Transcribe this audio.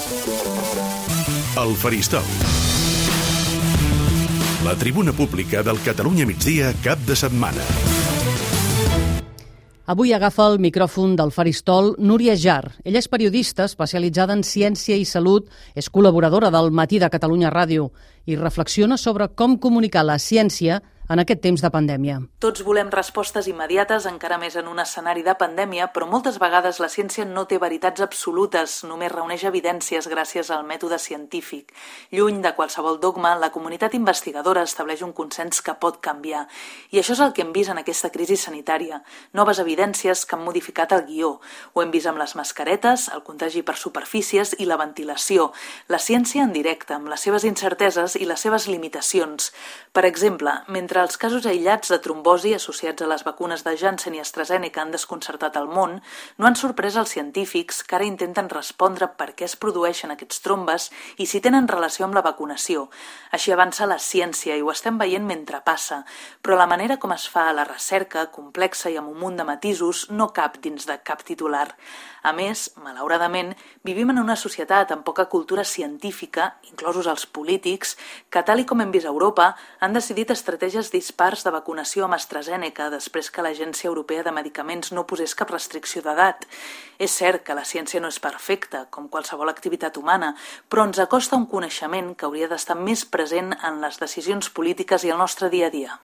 El Faristol. La tribuna pública del Catalunya Migdia cap de setmana. Avui agafa el micròfon del Faristol Núria Jar. Ella és periodista especialitzada en ciència i salut, és col·laboradora del Matí de Catalunya Ràdio i reflexiona sobre com comunicar la ciència en aquest temps de pandèmia. Tots volem respostes immediates, encara més en un escenari de pandèmia, però moltes vegades la ciència no té veritats absolutes, només reuneix evidències gràcies al mètode científic. Lluny de qualsevol dogma, la comunitat investigadora estableix un consens que pot canviar. I això és el que hem vist en aquesta crisi sanitària. Noves evidències que han modificat el guió. Ho hem vist amb les mascaretes, el contagi per superfícies i la ventilació. La ciència en directe, amb les seves incerteses i les seves limitacions. Per exemple, mentre els casos aïllats de trombosi associats a les vacunes de Janssen i AstraZeneca han desconcertat el món, no han sorprès els científics que ara intenten respondre per què es produeixen aquests trombes i si tenen relació amb la vacunació. Així avança la ciència i ho estem veient mentre passa, però la manera com es fa la recerca, complexa i amb un munt de matisos, no cap dins de cap titular. A més, malauradament, vivim en una societat amb poca cultura científica, inclosos els polítics, que, tal i com hem vist a Europa, han decidit estratègies dispars de vacunació amb AstraZeneca després que l'Agència Europea de Medicaments no posés cap restricció d'edat. És cert que la ciència no és perfecta, com qualsevol activitat humana, però ens acosta un coneixement que hauria d'estar més present en les decisions polítiques i el nostre dia a dia.